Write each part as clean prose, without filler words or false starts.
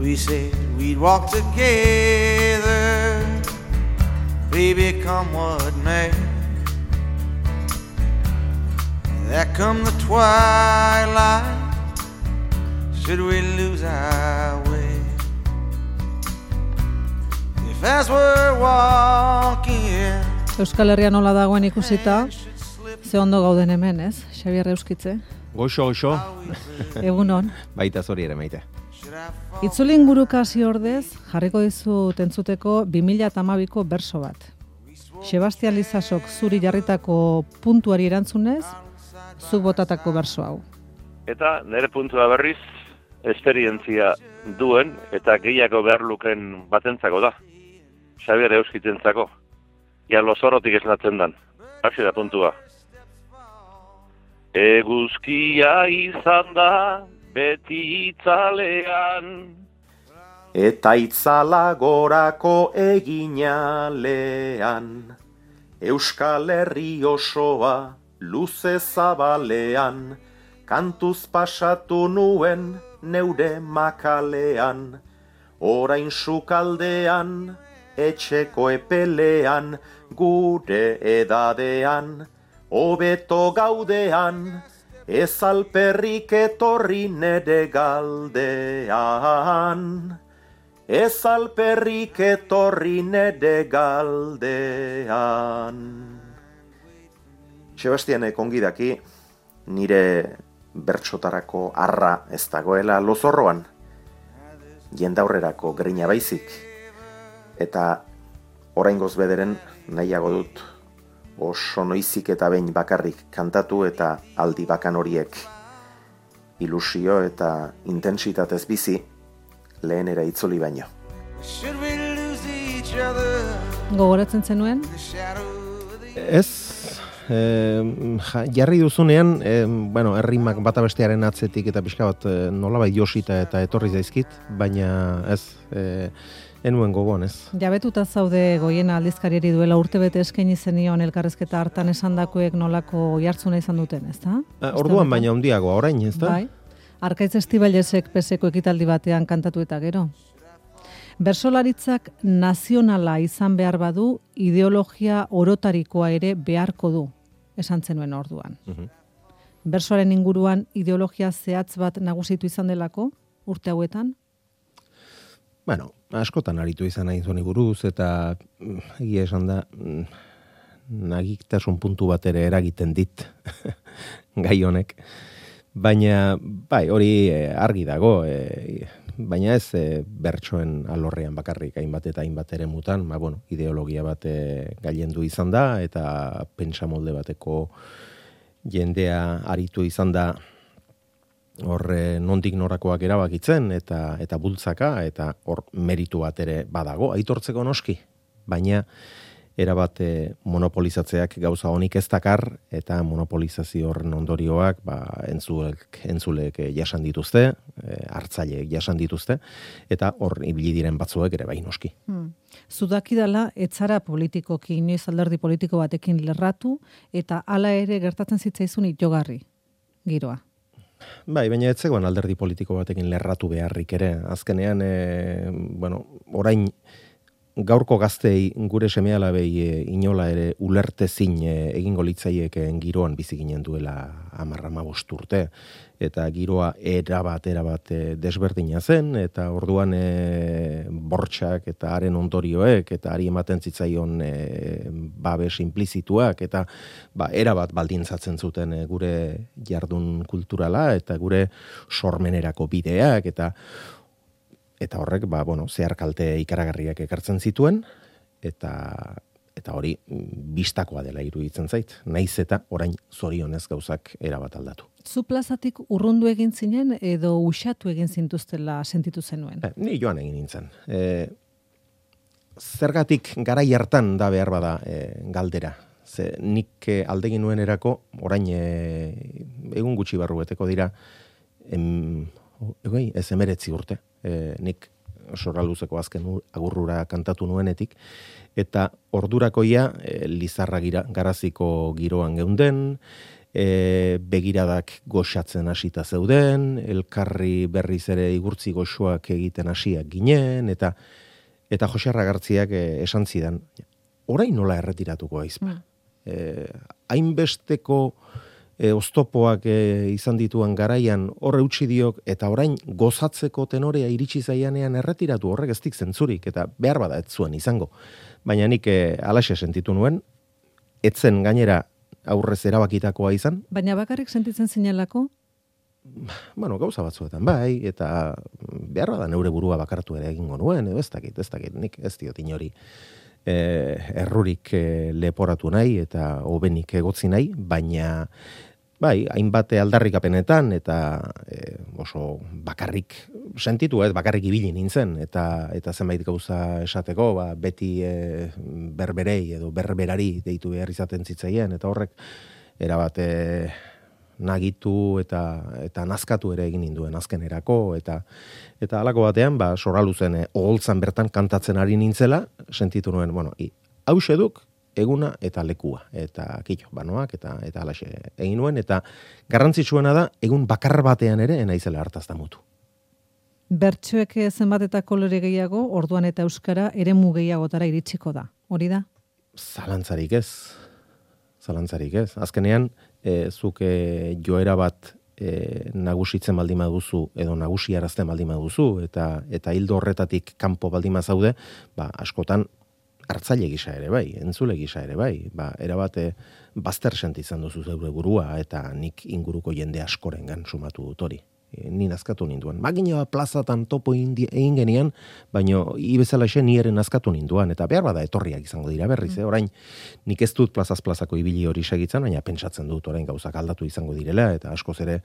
We said we'd walk together, baby, come what may. There come the twilight, should we lose our way? If as we're walking, Euskal Herria nola dagoen ikusita, ze ondo gauden hemen, ez? Xabier Euskitze. Goxo. Egunon. Baita zori ere maite. Itzuli inguruka hasi ordez, jarriko dizut entzuteko 2012ko berso bat. Sebastian Lizasok zuri jarritako puntuari erantzunez, zuk botatako berso hau. Eta nire puntua berriz, esperientzia duen eta gehiago behar luken batentzako da. Xabier Euskitentzako. Ja lozorotik esnatzen dan. Hasi da puntua. Eguzkia izan da beti itzalean. Eta itzala gorako eginalean. Euskal Herri osoa luze zabalean. Kantuz pasatu nuen neure makalean. Orain sukaldean, etxeko epelean, gure edadean, hobeto gaudean, ez alperrik etorri nere galdean. Ez alperrik etorri nere galdean. Sebastianek ongi daki, nire bertsotarako arra ez dagoela lozorroan, jendaurrerako grina baizik. Eta oraingoz bederen nahiago dut oso noizik eta behin bakarrik kantatu eta aldi bakan horiek ilusio eta intentsitatez bizi lehenera itzuli baino. Gogoratzen zenuen? Ez, jarri duzunean, errimak bata bestearen atzetik eta pixka bat nolabait josita eta etorri zaizkit, baina ez, enuen gogoan, ez. Jabetuta zaude Goiena aldizkariari duela urtebete eskaini zenion elkarrezketa hartan esandakoek nolako jartzuna izan duten, ezta? Orduan baina handiagoa orain, ezta? Bai. Arkaitz Estibalesek peseko ekitaldi batean kantatu eta gero. Bersolaritzak nazionala izan behar badu, ideologia orotarikoa ere beharko du, esan zenuen orduan. Bersoaren inguruan ideologia zehatz bat nagusitu izan delako, urte hauetan? Bueno, askotan aritu izan nahi zoni buruz, eta egia esan da, nagiktasun puntu bat ere eragiten dit, gai honek. Baina, bai, hori argi dago, baina ez bertsoen alorrean bakarrik hainbat eta hainbat ere mutan, ideologia bat gailendu izan da, eta pentsamolde bateko jendea aritu izan da hor nondik norakoak erabakitzen eta bultzaka, eta hor meritu bat ere badago, aitortzeko noski, baina erabat monopolizatzeak gauza honik ez dakar, eta monopolizazio horren ondorioak entzulek jasan dituzte, hartzaileek jasan dituzte, eta hor ibili diren batzuek ere bai noski. Zudakidala, etzara politikoki, inoiz alderdi politiko batekin lerratu, eta hala ere gertatzen zitzaizun itogarri, giroa. Bai, baina ez zegoen alderdi politiko batekin lerratu beharrik ere. Azkenean, orain gaurko gaztei gure seme-alabei inola ere ulertezin egingo litzaiekeen giroan bizi ginen duela 10-15 urte. Eta giroa erabat desberdina zen, eta orduan bortxak eta haren ondorioek, eta hari ematen zitzaion babes implizituak, eta erabat baldintzatzen zuten gure jardun kulturala, eta gure sormenerako bideak, eta horrek, zehar kalte ikaragarriak ekartzen zituen, eta hori bistakoa dela iruditzen zait, naiz eta orain zorionez gauzak erabat aldatu. Zu plazatik urrundu egin zinen edo usatu egin zintuztela sentitu zenuen? Ni joan egin nintzen. Zergatik garai hartan da behar bada galdera. Ze nik aldegin nuen erako, orain egun gutxi barru beteko dira, ez 19 urte. Nik sorralduzeko azken agurrura kantatu nuenetik, eta ordurakoia Lizarra garaziko giroan geunden, begiradak goxatzen hasita zeuden, elkarri berriz ere igurtzi goxoak egiten hasiak ginen, eta Jose Arragartziak esan zidan, orain nola erretiratuko aizpa. Hainbesteko oztopoak izan dituan garaian horre utzi diok, eta orain gozatzeko tenorea iritsi zaianean erretiratu, horrek ez dik zentzurik, eta behar bada ez zuen izango. Baina nik alaxe sentitu nuen, etzen gainera aurrez erabakitakoa izan. Baina bakarrik sentitzen zinelako? Bueno, gauza batzuetan bai, eta behar bada neure burua bakartu ere egingo nuen, edo ez dakit, nik ez diot inori errurik leporatu nahi eta hobenik egotzi nahi, baina bai, hainbat aldarrikapenetan eta oso bakarrik sentitu, bakarrik ibili nintzen, eta zenbait gauza esateko, beti berberei edo berberari deitu behar izaten zitzaien, eta horrek erabat nagitu eta nazkatu ere egin ninduen azkenerako, eta halako batean, Soraluzen oholtzan bertan kantatzen ari nintzela, sentitu nuen, hause duk eguna eta lekua, eta kito, banoak, eta alaxe egin nuen, eta garrantzitsuena da, egun bakar batean ere, naizela hartazta mutu. Bertsoek zenbat eta kolore gehiago, orduan eta euskara eremu gehiagotara iritsiko da, hori da? Zalantzarik ez. Azkenean, zuk joera bat nagusitzen baldin baduzu, edo nagusiarazten baldin baduzu, eta hildo horretatik kanpo baldin bazaude, askotan hartzaile gisa ere bai, entzule gisa ere bai, erabat bazter sentitzen duzu zeure burua, eta nik inguruko jende askorengan sumatu dut hori. Ni nazkatu ninduen. Magina plazatan topo egin genian, baina ibezalaxe ni ere nazkatu ninduan, eta behar bada etorriak izango dira berriz, orain nik ez dut plazaz plazako ibili hori segitzen, baina pentsatzen dut orain gauzak aldatu izango direla, eta askoz ere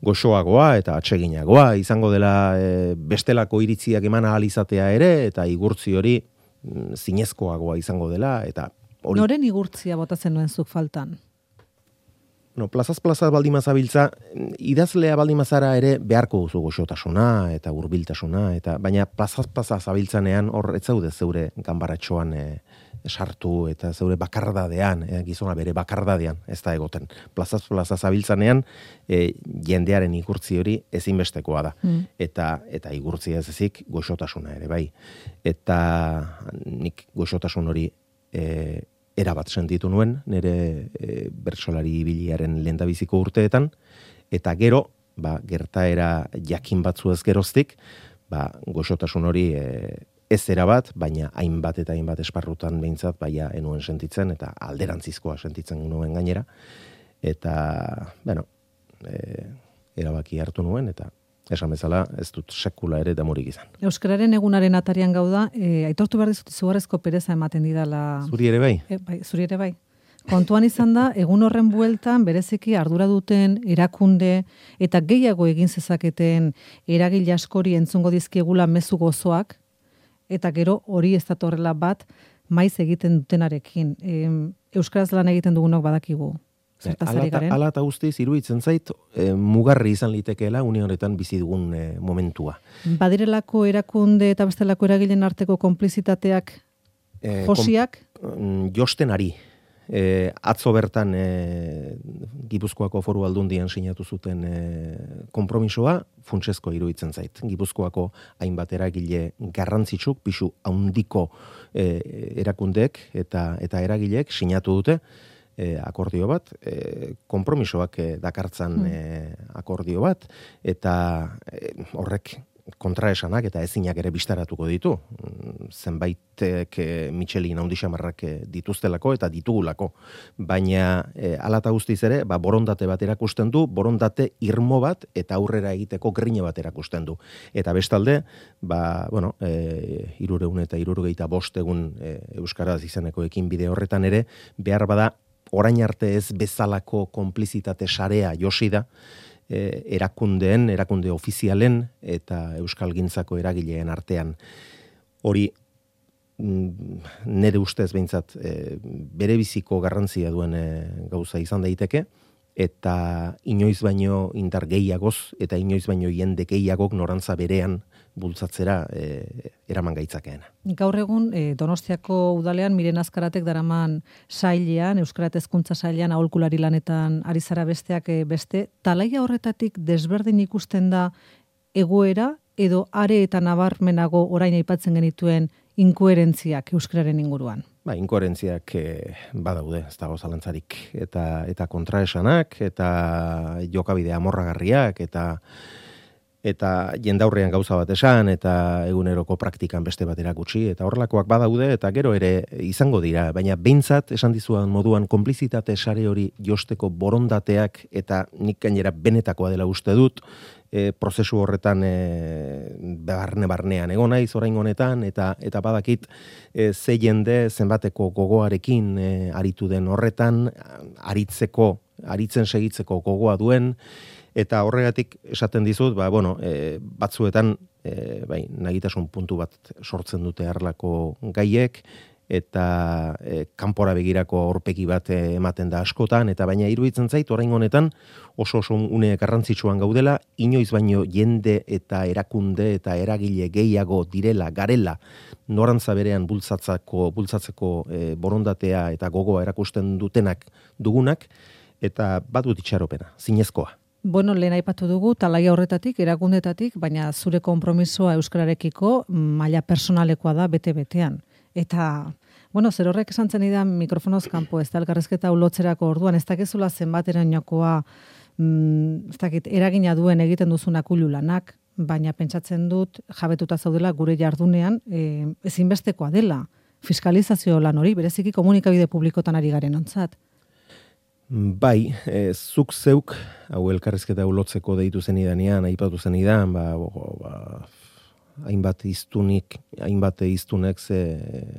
goxoagoa eta atseginagoa izango dela bestelako iritziak eman ahal izatea ere, eta igurtzi hori zinezkoagoa izango dela, eta hori... Noren igurtzia botatzen nuen zuk faltan? Plazaz plaza baldimazabiltza, idazlea baldimazara ere beharko duzu goxotasuna eta hurbiltasuna, baina plazaz plaza zabiltzanean hor ez zaude zeure ganbaratxoan sartu eta zeure bakardadean, gizona bere bakardadean ez da egoten. Plazaz plaza zabiltzanean jendearen igurtzi hori ezinbestekoa da. Eta igurtzia ez ezik goxotasuna ere bai. Eta nik goxotasun hori erabat sentitu nuen, nire bertsolari ibiliaren lehendabiziko urteetan, eta gero, gertaera jakin batzu ez geroztik, goxotasun hori ez erabat, baina hainbat eta hainbat esparrutan behintzat, baina enuen sentitzen, eta alderantzizkoa sentitzen nuen gainera, eta, erabaki hartu nuen, eta esan bezala, ez dut sekula ere damurik izan. Euskararen egunaren atarian gauda, aitortu behar dizut izugarrezko pereza ematen didala... Zuri ere bai? Zuri ere bai. Kontuan izan da, egun horren bueltan, bereziki ardura duten, erakunde, eta gehiago egin zezaketen eragile askori entzungo dizkiegula mezu gozoak, eta gero hori ez datorrela bat, maiz egiten dutenarekin. Euskaraz lan egiten dugunok badakigu. Ala eta guztiz iruditzen zait mugarri izan litekeela une honetan bizi dugun momentua. Badirelako erakunde eta bestelako eragileen arteko konplizitateak josiak? Josten ari. Atzo bertan Gipuzkoako Foru Aldundian sinatu zuten konpromisoa funtsezko iruditzen zait. Gipuzkoako hainbat eragile garrantzitsuk, pisu handiko erakundeek eta eragileek sinatu dute akordio bat, konpromisoak dakartzan akordio bat, eta horrek kontraesanak eta ezinak ere bistaratuko ditu. Zenbaitek Michelin handixamarrak dituztelako eta ditugulako. Baina hala eta guztiz ere, borondate bat erakusten du, borondate irmo bat eta aurrera egiteko grina bat erakusten du. Eta bestalde, 375 egun euskaraz izeneko ekinbide horretan ere, behar bada orain arte ez bezalako konplizitate sarea josi da, erakunde ofizialen eta euskalgintzako eragileen artean. Hori nire ustez behintzat bere biziko garrantzia duen gauza izan daiteke, eta inoiz baino indar gehiagoz eta inoiz baino jende gehiagok norantza berean bultzatzera eraman gaitzakeena. Gaur egun Donostiako udalean Miren Azkaratek daraman sailean, Euskara eta Hezkuntza sailean aholkulari lanetan ari zara besteak beste, talaia horretatik desberdin ikusten da egoera edo are eta nabarmenago orain aipatzen genituen inkoherentziak euskararen inguruan? Inkoherentziak badaude, ez dago zalantzarik, eta kontraesanak, eta jokabide amorragarriak, eta jendaurrean gauza bat esan, eta eguneroko praktikan beste bat erakutsi, eta horrelakoak badaude, eta gero ere izango dira, baina behintzat esan dizuan moduan konplizitate sare hori josteko borondateak, eta nik gainera benetakoa dela uste dut, prozesu horretan barnean egon naiz orain honetan, eta badakit ze jende zenbateko gogoarekin aritu den horretan, aritzen segitzeko gogoa duen, eta horregatik esaten dizut, batzuetan nagitasun puntu bat sortzen dute harlako gaiek, eta kanpora begirako aurpegi bat ematen da askotan, eta baina iruditzen zait orain honetan oso une garrantzitsuan gaudela, inoiz baino jende eta erakunde eta eragile gehiago garela norantza berean bultzatzeko borondatea eta gogoa erakusten dugunak, eta badut itxaropena, zinezkoa. Lehen aipatu dugu, talaia horretatik, erakundetatik, baina zure konpromisoa euskararekiko maila personalekoa da bete-betean. Eta, zer horrek esan zen idan mikrofonoz kanpo, ez da elkarrezketa ulotzerako orduan, ez dakizula zenbaterainokoa, eragina duen egiten duzunak ululanak, baina pentsatzen dut jabetuta zaudela gure jardunean ezinbestekoa dela. Fiskalizazio lan hori, bereziki komunikabide publikotan ari garen ontzat. Zuk zeuk, hau elkarrezketa ulotzeko deitu zenidanean, aipatu zenidan, hainbat iztunek ze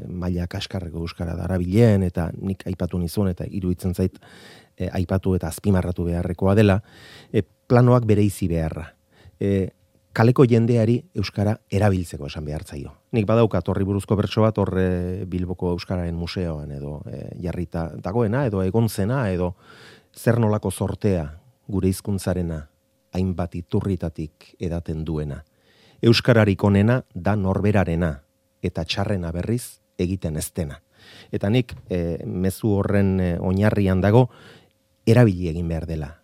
maila kaskarreko euskara darabilen, eta nik aipatu nizun, eta iruditzen zait aipatu eta azpimarratu beharrekoa dela, planoak bereizi beharra. Kaleko jendeari euskara erabiltzeko esan behartzaio. Nik badaukat horri buruzko bertso bat horre Bilboko Euskararen Museoan edo jarrita dagoena, edo egontzena, edo zer nolako sortea gure hizkuntzarena hainbat iturritatik edaten duena. Euskararik onena da norberarena, eta txarrena berriz egiten ez dena. Eta nik mezu horren oinarrian dago erabili egin behar dela.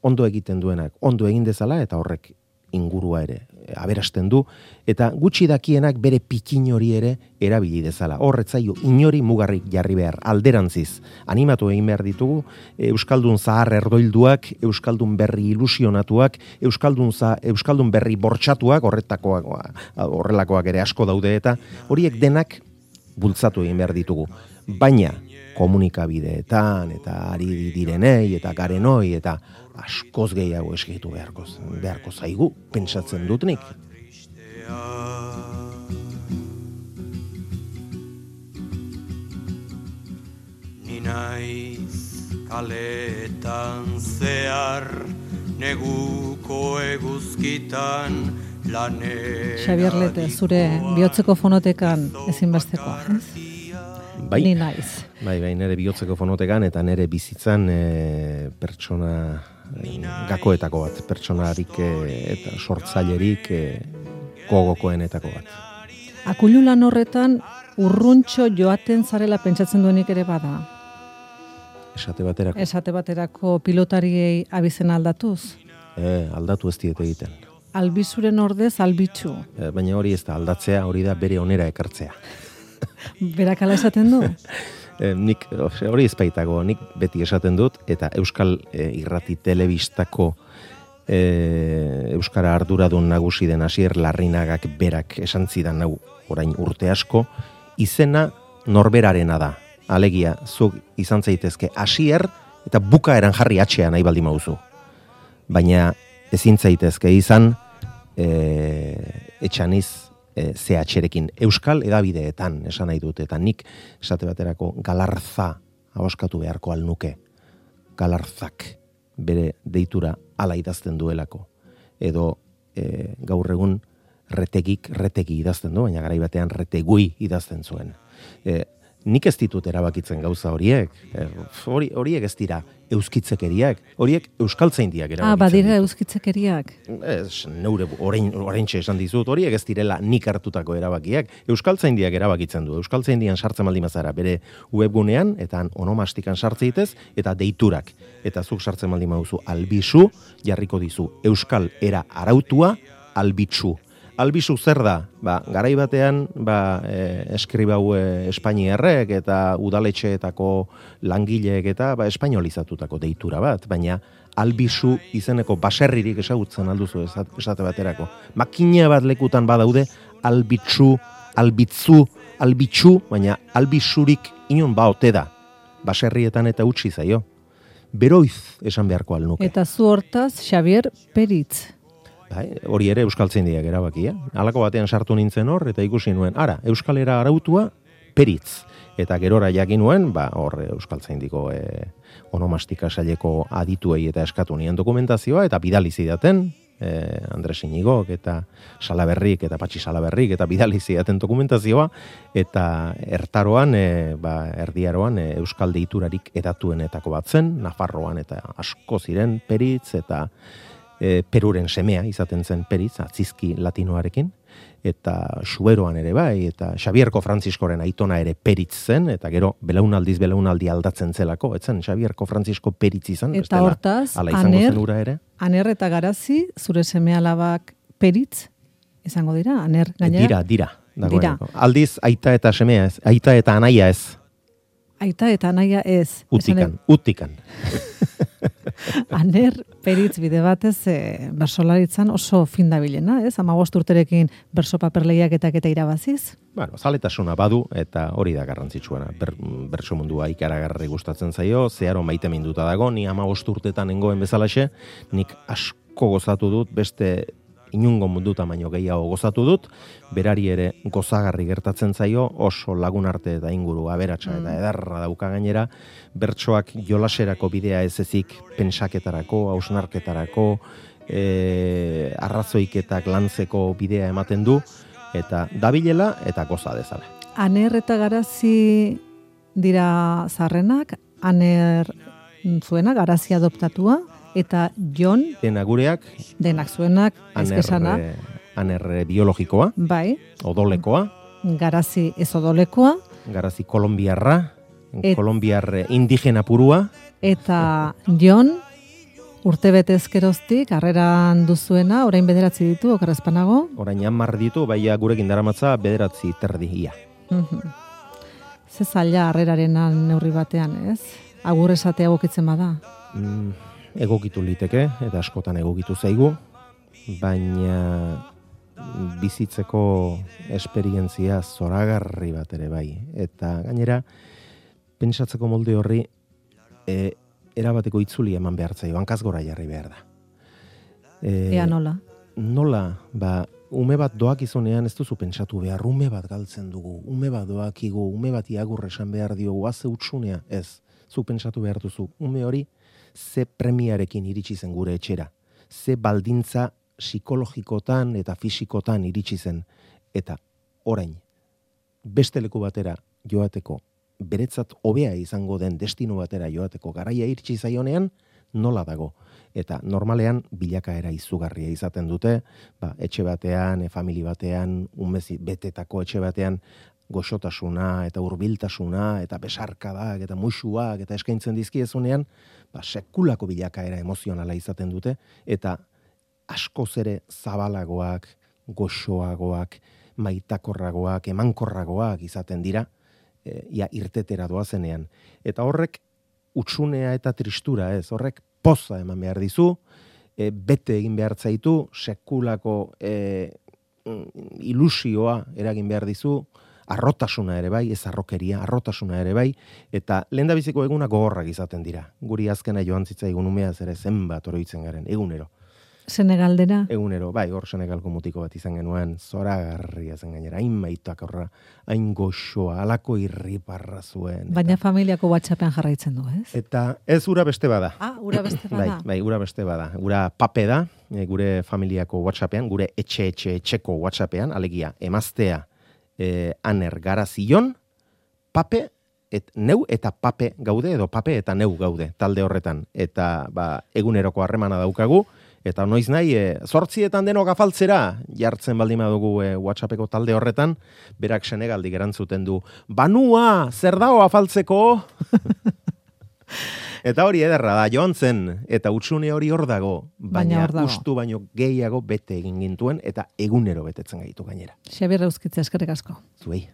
Ondo egiten duenak, ondo egin dezala, eta horrek ingurua ere aberasten du, eta gutxi dakienak bere pikin hori ere erabili dezala. Horretzaio inori mugarrik jarri behar, alderantziz. Animatu egin behar ditugu, euskaldun zahar erdoilduak, euskaldun berri ilusionatuak, euskaldun berri bortxatuak, horrelakoak ere asko daude, eta horiek denak bultzatu egin behar ditugu. Baina komunikabideetan, eta ari direnei, eta garenoi, eta askoz gehiago eskitu beharko zaigu, pentsatzen dut nik. Ni naiz kaletan zehar, neguko eguzkitan lanean. Xabier Lete, zure bihotzeko fonotekan ezinbestekoa, ez? Ni naiz. Nire bihotzeko fonotekan eta nire bizitzan pertsona gakoetako bat, pertsonarik eta sortzailerik gogokoenetako bat. Akululan horretan urruntxo joaten zarela pentsatzen duenik ere bada? Esate baterako pilotariei abizena aldatuz? Aldatu ez diete egiten. Albizuren ordez albitzu? Baina hori ez da aldatzea, hori da bere onera ekartzea. Berak ala esaten du? Nik hori ezpaitago, nik beti esaten dut, eta Euskal Irrati Telebistako Euskara arduradun nagusi den Asier Larrinagak berak esan zidan hau orain urte asko, izena norberarena da. Alegia, zuk izan zaitezke Asier eta bukaeran jarri atxea nahi baldin mauzu. Baina ezin zaitezke izan etxaniz CH-rekin Euskal edabideetan esan nahi dut, eta nik esate baterako Galarza ahoskatu beharko alnuke. Galarzak bere deitura ala idazten duelako. Edo gaur egun retegi idazten du, baina garai batean retegui idazten zuen. nik ez ditut erabakitzen gauza horiek. Horiek ez dira euskitzekeriak, horiek euskaltzaindiak erabakitzen. Badira euskitzekeriak. Ez, neure oraintxe esan dizut, horiek ez direla nik hartutako erabakiak. Euskaltzaindiak erabakitzen du. Euskaltzaindian sartzen baldin bazara bere webgunean, eta onomastikan sartzeitez, eta deiturak. Eta zuk sartzen baldin baduzu albizu, jarriko dizu euskal era arautua albitzu. Albizu zer da? Garai batean, eskribau espainiarrek eta udaletxeetako langileek eta espainolizatutako deitura bat, baina albizu izeneko baserririk ezagutzen alduzu esate baterako. Makina bat lekutan badaude albitzu, albitzu, baina albizurik inon ote da. Baserrietan eta utzi zaio. Beroiz esan beharko alnuke. Eta zu hortaz, Xabier Peritz. Hori ere euskaltzaindiak erabakia. Halako batean sartu nintzen hor, eta ikusi nuen, euskalera arautua Peritz. Eta gerora jakin nuen, hor euskaltzaindiko onomastika saileko adituei eta eskatu nien dokumentazioa, eta bidali zidaten, Andres Inigok eta Salaberrik eta Patxi Salaberrik eta bidali zidaten dokumentazioa, eta ertaroan, erdiaroan euskal deiturarik edatuenetako bat zen, Nafarroan eta asko ziren Peritz eta Peruren semea izaten zen Peritz, atzizki latinoarekin, eta Xuberoan ere bai, eta Xabierko Frantziskoren aitona ere Peritz zen, eta gero belaunaldi aldatzen zelako, etzen Xabierko Frantzisko Peritz izan, eta hortaz, Aner eta Garazi, zure seme-alabak Peritz, izango dira, Aner gainera? Dira. Aldiz, aita eta semea ez, aita eta anaia ez. Aita eta anaia ez. Utikan. Aner Peritz bide batez bersolaritzan oso fin dabilena, ez? 15 urterekin berso paperleiaketak eta irabaziz. Zaletasuna badu eta hori da garrantzitsuena. Berso mundua ikaragarri gustatzen zaio, zeharo maiteminduta dago, ni 15 urtetan nengoen bezalaxe, nik asko gozatu dut, beste inungo munduta baino gehiago gozatu dut, berari ere gozagarri gertatzen zaio, oso lagun arte eta inguru aberatsa eta edarra dauka gainera, bertsoak jolaserako bidea ez ezik pentsaketarako, hausnarketarako, arrazoiketak lantzeko bidea ematen du, eta dabilela eta goza dezala. Aner eta Garazi dira zarrenak, Aner zuena, Garazi adoptatua, eta Jon... Denak zuenak, ezkesana. Aner biologikoa. Bai. Odolekoa. Garazi ez odolekoa. Garazi kolombiarra. Kolombiar indigena purua. Eta Jon, urtebete ezkeroztik, harreran duzuena, orain 9 ditu, okerrezpanago. Orain 10 ditu, baina gurekin daramatza 9 terdi ia. Ze zaila harrerarenan neurri batean, ez? Agur esatea egokitzen bada. Egokitu liteke, eta askotan egokitu zaigu, baina bizitzeko esperientzia zoragarri bat ere bai. Eta gainera, pentsatzeko molde horri erabateko itzuli eman behar zaio, hankaz gora jarri behar da. Ea nola? Nola, ume bat doakizunean ez duzu pentsatu behar, ume bat galtzen dugu, ume bat doakigu, ume bat iagurre esan behar diogu, haze utsunea, ez, zu pentsatu behar duzu, ume hori, ze premiarekin iritsi zen gure etxera, ze baldintza psikologikotan eta fisikotan iritsi zen, eta orain, beste leku batera joateko, beretzat hobea izango den destino batera joateko garaia iritsi zaionean, nola dago. Eta normalean bilakaera izugarria izaten dute, etxe batean, famili batean, umezi betetako etxe batean, goxotasuna eta hurbiltasuna eta besarkadak eta musuak eta eskaintzen dizkiezunean, sekulako bilakaera emozionala izaten dute eta askoz ere zabalagoak, goxoagoak, maitakorragoak, emankorragoak izaten dira, irtetera doazenean. Eta horrek utsunea eta tristura ez, horrek poza eman behar dizu, bete egin behar zaitu, sekulako ilusioa eragin behar dizu, arrotasuna ere bai, ez arrokeria, arrotasuna ere bai, eta lehendabiziko eguna gogorrak izaten dira. Guri azkena joan zitzaigun umeaz ere zenbat oroitzen garen, egunero. Senegaldera? Egunero, bai, hor Senegalko mutiko bat izan genuen, zoragarria zen gainera, hain maitak horra, hain goxoa, alako irriparra zuen. Baina familiako WhatsAppean jarraitzen du, ez? Eta ez ura beste bada. Ura beste bada. Bai, ura beste bada. Ura pape da, gure familiako WhatsAppean, gure etxeko WhatsAppean, alegia, emaztea, Aner Garazi Jon, pape neu eta pape gaude, edo pape eta neu gaude talde horretan. Eta eguneroko harremana daukagu, eta noiz nahi, 8 denok afaltzera, jartzen baldin badugu WhatsAppeko talde horretan, berak Senegaldik erantzuten du, banua, zer dago afaltzeko? Eta hori ederra da, joan zen, eta utzune hori hor dago, baina ustu baino gehiago bete egin gintuen, eta egunero betetzen gaitu gainera. Xabier Euskitze, eskerrik asko. Zuei.